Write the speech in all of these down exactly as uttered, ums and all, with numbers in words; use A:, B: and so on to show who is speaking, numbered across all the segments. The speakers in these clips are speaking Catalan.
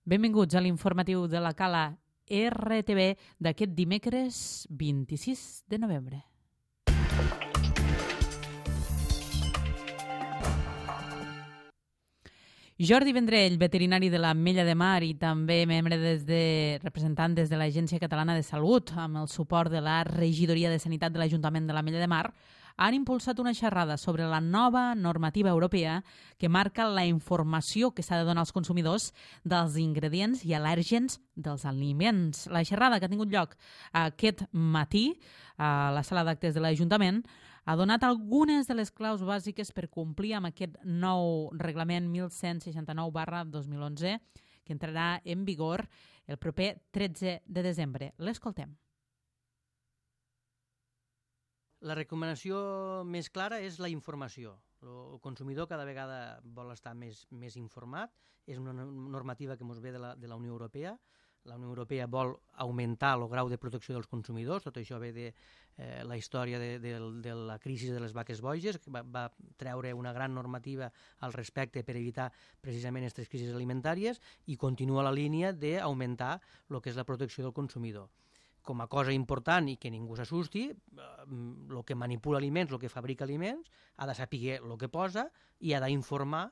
A: Benvinguts a l'informatiu de la Cala R T V d'aquest dimecres vint-i-sis de novembre. Jordi Vendrell, veterinari de l'Ametlla de Mar i també membre des de, representant des de l'Agència Catalana de Salut, amb el suport de la Regidoria de Sanitat de l'Ajuntament de l'Ametlla de Mar, han impulsat una xerrada sobre la nova normativa europea que marca la informació que s'ha de donar als consumidors dels ingredients i al·lèrgens dels aliments. La xerrada que ha tingut lloc aquest matí a la sala d'actes de l'Ajuntament ha donat algunes de les claus bàsiques per complir amb aquest nou reglament mil cent seixanta-nou barra dos mil onze que entrarà en vigor el proper tretze de desembre. L'escoltem.
B: La recomanació més clara és la informació. El consumidor cada vegada vol estar més, més informat. És una normativa que ens ve de la, de la Unió Europea. La Unió Europea vol augmentar el grau de protecció dels consumidors. Tot això ve de eh, la història de, de, de la crisi de les vaques boges, que va, va treure una gran normativa al respecte per evitar precisament aquestes crisis alimentàries i continua la línia d'augmentar el que és la protecció del consumidor. Com a cosa important i que ningú s'assusti, el que manipula aliments, el que fabrica aliments, ha de saber el que posa i ha d'informar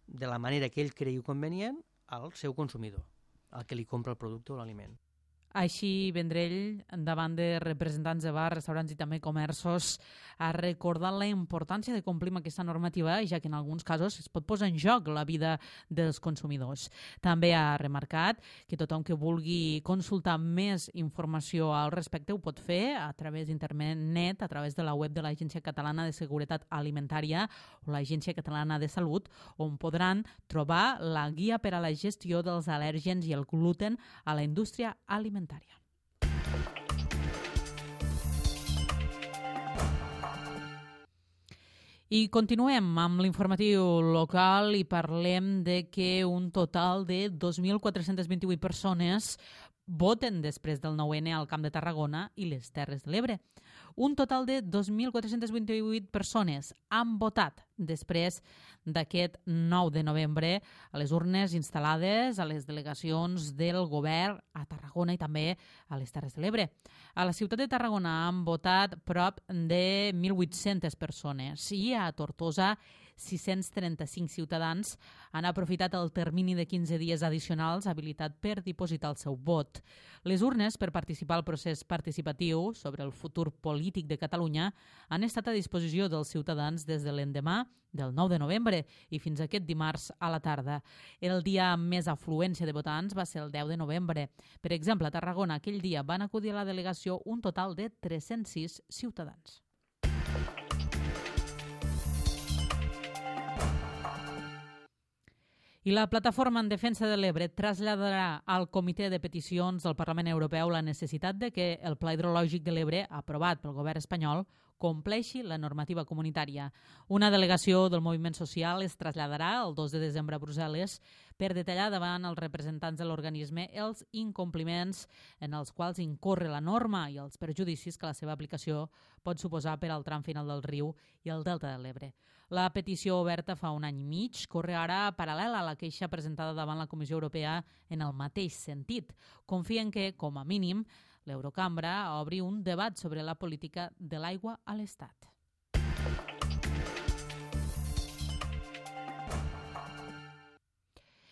B: de la manera que ell cregui convenient al seu consumidor, al que li compra el producte o l'aliment.
A: Així, Vendrell, davant de representants de bars, restaurants i també comerços, ha recordat la importància de complir amb aquesta normativa, ja que en alguns casos es pot posar en joc la vida dels consumidors. També ha remarcat que tothom que vulgui consultar més informació al respecte ho pot fer a través d'internet, a través de la web de l'Agència Catalana de Seguretat Alimentària o l'Agència Catalana de Salut, on podran trobar la guia per a la gestió dels al·lèrgens i el gluten a la indústria alimentària. I continuem amb l'informatiu local i parlem de que un total de dos mil quatre-cents vint-i-vuit persones voten després del nou ene al Camp de Tarragona i les Terres de l'Ebre. Un total de dos mil quatre-cents vint-i-vuit persones han votat després d'aquest nou de novembre a les urnes instal·lades a les delegacions del govern a Tarragona i també a les Terres de l'Ebre. A la ciutat de Tarragona han votat prop de mil vuit-centes persones i a Tortosa sis-cents trenta-cinc ciutadans han aprofitat el termini de quinze dies addicionals habilitat per dipositar el seu vot. Les urnes per participar al procés participatiu sobre el futur polític de Catalunya han estat a disposició dels ciutadans des de l'endemà del nou de novembre i fins aquest dimarts a la tarda. El dia amb més afluència de votants va ser el deu de novembre. Per exemple, a Tarragona aquell dia van acudir a la delegació un total de tres-cents sis ciutadans. I la Plataforma en Defensa de l'Ebre traslladarà al Comitè de Peticions del Parlament Europeu la necessitat de que el Pla Hidrològic de l'Ebre, aprovat pel govern espanyol, compleixi la normativa comunitària. Una delegació del moviment social es traslladarà el dos de desembre a Brussel·les per detallar davant els representants de l'organisme els incompliments en els quals incorre la norma i els perjudicis que la seva aplicació pot suposar per al tram final del riu i el delta de l'Ebre. La petició oberta fa un any i mig corre ara paral·lela a la queixa presentada davant la Comissió Europea en el mateix sentit. Confien que, com a mínim, l'Eurocambra obri un debat sobre la política de l'aigua a l'Estat.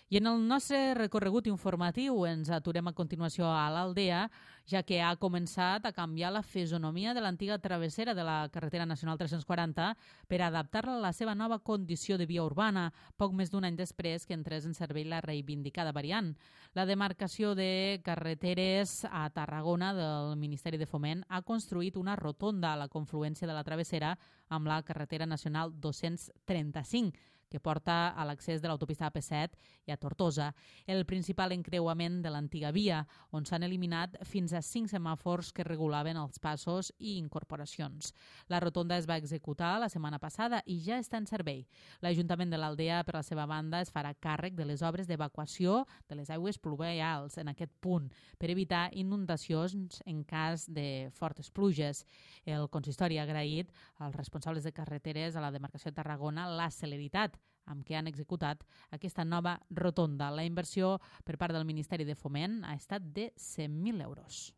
A: I en el nostre recorregut informatiu ens aturem a continuació a l'Aldea, ja que ha començat a canviar la fisonomia de l'antiga travessera de la carretera nacional tres-cents quaranta per adaptar-la a la seva nova condició de via urbana, poc més d'un any després que entrés en servei la reivindicada variant. La demarcació de carreteres a Tarragona del Ministeri de Foment ha construït una rotonda a la confluència de la travessera amb la carretera nacional dos-cents trenta-cinc, que porta a l'accés de l'autopista A P set i a Tortosa, el principal encreuament de l'antiga via, on s'han eliminat fins a cinc semàfors que regulaven els passos i incorporacions. La rotonda es va executar la setmana passada i ja està en servei. L'Ajuntament de l'Aldea, per la seva banda, es farà càrrec de les obres d'evacuació de les aigües pluvials en aquest punt, per evitar inundacions en cas de fortes pluges. El consistori ha agraït als responsables de carreteres a la demarcació de Tarragona la celeritat amb què han executat aquesta nova rotonda. La inversió per part del Ministeri de Foment ha estat de cent mil euros.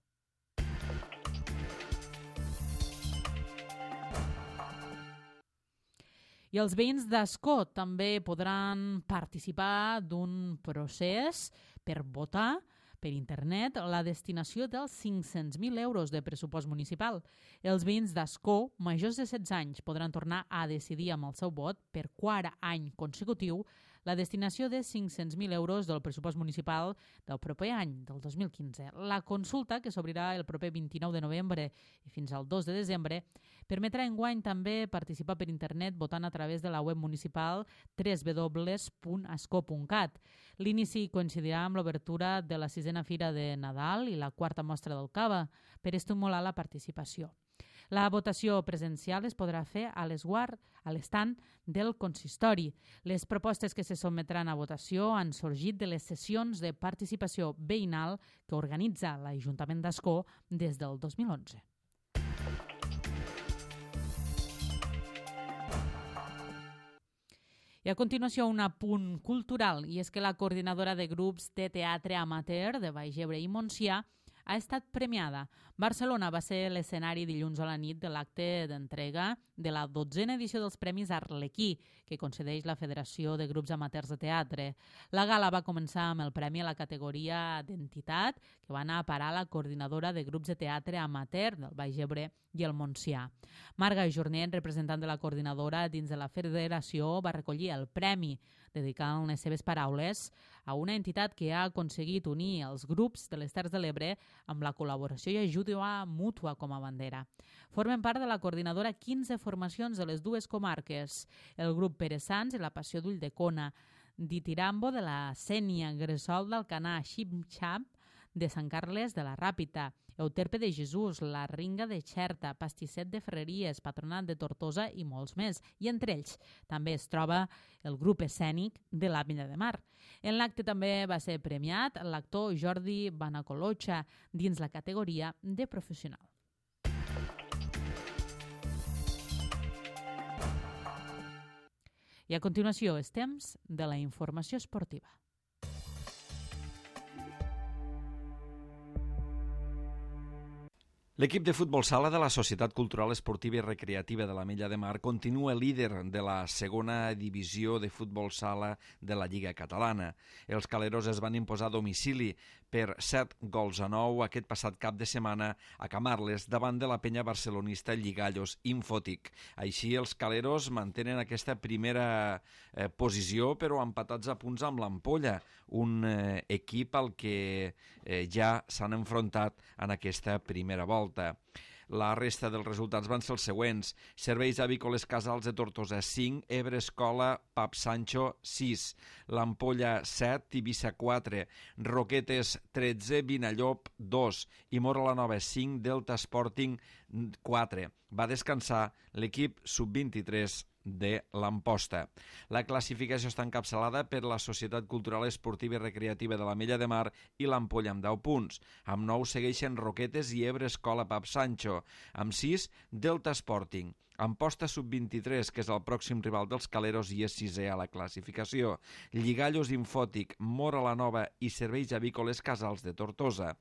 A: I els veïns d'Ascó també podran participar d'un procés per votar per internet la destinació dels cinc-cents mil euros de pressupost municipal. Els veïns d'Ascó, majors de setze anys, podran tornar a decidir amb el seu vot per quart any consecutiu la destinació de cinc-cents mil euros del pressupost municipal del proper any, del dos mil quinze. La consulta, que s'obrirà el proper vint-i-nou de novembre i fins al dos de desembre, permetrà enguany també participar per internet votant a través de la web municipal w w w punt ascó punt cat. L'inici coincidirà amb l'obertura de la sisena Fira de Nadal i la quarta mostra del cava per estimular la participació. La votació presencial es podrà fer a l'esguard, a l'estand del consistori. Les propostes que se sotmetran a votació han sorgit de les sessions de participació veïnal que organitza l'Ajuntament d'Ascó des del dos mil onze. I a continuació un apunt cultural, i és que la coordinadora de grups de teatre amateur de Baix Ebre i Montsià ha estat premiada. Barcelona va ser l'escenari dilluns a la nit de l'acte d'entrega de la dotzena edició dels Premis Arlequí, que concedeix la Federació de Grups Amateurs de Teatre. La gala va començar amb el premi a la categoria d'entitat, que va anar a parar a la coordinadora de grups de teatre amateur del Baix Ebre i el Montsià. Marga Jornet, representant de la coordinadora dins de la federació, va recollir el premi, dedicant les seves paraules a una entitat que ha aconseguit unir els grups de les Terres de l'Ebre amb la col·laboració i ajuda mútua com a bandera. Formen part de la coordinadora quinze formacions de les dues comarques, el grup Pere Sans i la Passió d'Ulldecona, Ditirambo de la Sénia, Gresol d'Alcanar, Xip-Xap de Sant Carles de la Ràpita, Euterpe de Jesús, la Ringa de Xerta, Pastisset de Ferreries, Patronat de Tortosa i molts més. I entre ells també es troba el grup escènic de l'Ametlla de Mar. En l'acte també va ser premiat l'actor Jordi Banacolocha dins la categoria de professional. I a continuació és temps de la informació esportiva.
C: L'equip de futbol sala de la Societat Cultural Esportiva i Recreativa de l'Ametlla de Mar continua líder de la segona divisió de futbol sala de la Lliga Catalana. Els caleros es van imposar a domicili per set gols a nou aquest passat cap de setmana a Camarles davant de la penya barcelonista Lligallos Infòtic. Així, els caleros mantenen aquesta primera eh, posició, però empatats a punts amb l'Ampolla, un eh, equip al que eh, ja s'han enfrontat en aquesta primera volta. La resta dels resultats van ser els següents. Serveis Avícoles Casals de Tortosa cinc, Ebre Escola Pap Sancho sis, l'Ampolla set, Tivissa quatre, Roquetes tretze, Vinallop dos i Móra la Nova cinc, Delta Sporting quatre. Va descansar l'equip sub vint-i-tres de l'Amposta. La classificació està encapçalada per la Societat Cultural Esportiva i Recreativa de l'Ametlla de Mar i l'Ampolla amb deu punts. Amb nou segueixen Roquetes i Ebre Escola Pap Sancho. Amb sis, Delta Sporting. Amposta sub vint-i-tres, que és el pròxim rival dels caleros i és sisè a la classificació. Lligallos Infòtic, Móra la Nova i Serveis Avícoles Casals de Tortosa.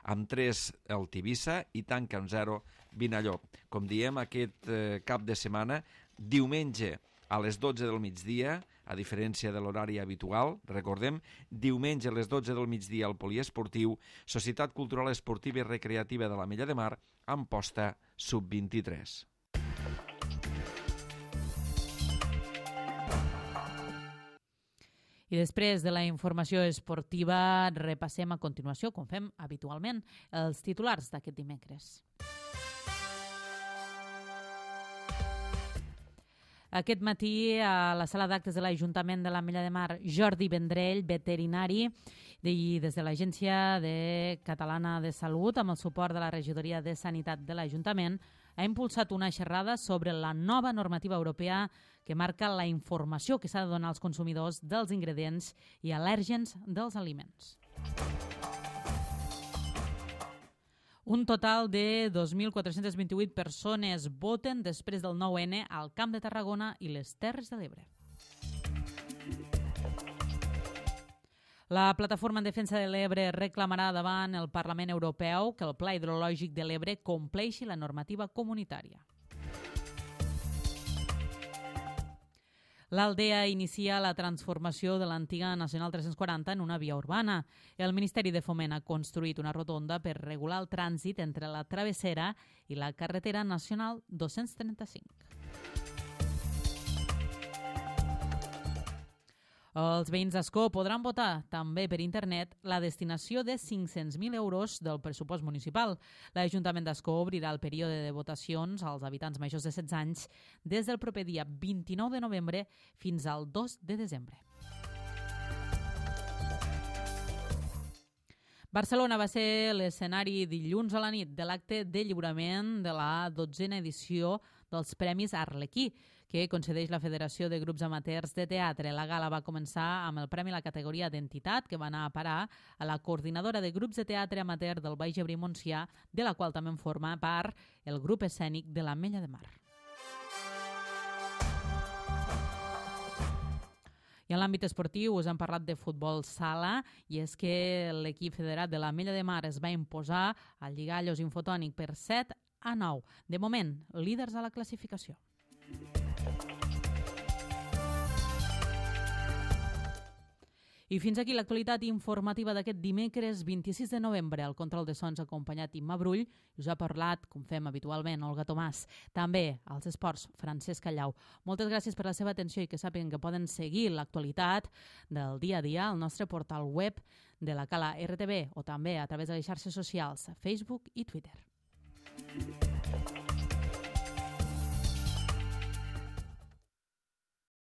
C: Amb tres, el Tivissa i tanca amb zero, Vinallop. Com diem, aquest eh, cap de setmana, diumenge a les dotze del migdia, a diferència de l'horari habitual, recordem, diumenge a les dotze del migdia al Poliesportiu, Societat Cultural Esportiva i Recreativa de l'Ametlla de Mar, Amposta sub vint-i-tres.
A: I després de la informació esportiva repassem a continuació, com fem habitualment, els titulars d'aquest dimecres. Aquest matí, a la sala d'actes de l'Ajuntament de l'Ametlla de Mar, Jordi Vendrell, veterinari, i des de l'Agència de Catalana de Salut, amb el suport de la Regidoria de Sanitat de l'Ajuntament, ha impulsat una xerrada sobre la nova normativa europea que marca la informació que s'ha de donar als consumidors dels ingredients i al·lèrgens dels aliments. Un total de dos mil quatre-cents vint-i-vuit persones voten després del nou ene al Camp de Tarragona i les Terres de l'Ebre. La Plataforma en Defensa de l'Ebre reclamarà davant el Parlament Europeu que el Pla Hidrològic de l'Ebre compleixi la normativa comunitària. L'Aldea inicia la transformació de l'antiga Nacional tres-cents quaranta en una via urbana. El Ministeri de Foment ha construït una rotonda per regular el trànsit entre la travessera i la carretera nacional dos-cents trenta-cinc. Els veïns d'Ascó podran votar també per internet la destinació de cinc-cents mil euros del pressupost municipal. L'Ajuntament d'Ascó obrirà el període de votacions als habitants majors de setze anys des del proper dia vint-i-nou de novembre fins al dos de desembre. Barcelona va ser l'escenari dilluns a la nit de l'acte de lliurament de la dotzena edició dels Premis Arlequí, que concedeix la Federació de Grups Amateurs de Teatre. La gala va començar amb el premi a la categoria d'entitat, que va anar a parar a la coordinadora de grups de teatre amateur del Baix Ebre i Montsià, de la qual també en forma part el grup escènic de l'Ametlla de Mar. I en l'àmbit esportiu us hem parlat de futbol sala i és que l'equip federat de l'Ametlla de Mar es va imposar al Lligallos Infotònic per set a nou. De moment, líders a la classificació. I fins aquí l'actualitat informativa d'aquest dimecres vint-i-sis de novembre. El control de sons acompanyat Imma Brull i us ha parlat, com fem habitualment, Olga Tomàs. També als esports, Francesc Callau. Moltes gràcies per la seva atenció i que sàpiguen que poden seguir l'actualitat del dia a dia al nostre portal web de la Cala R T B o també a través de les xarxes socials Facebook i Twitter.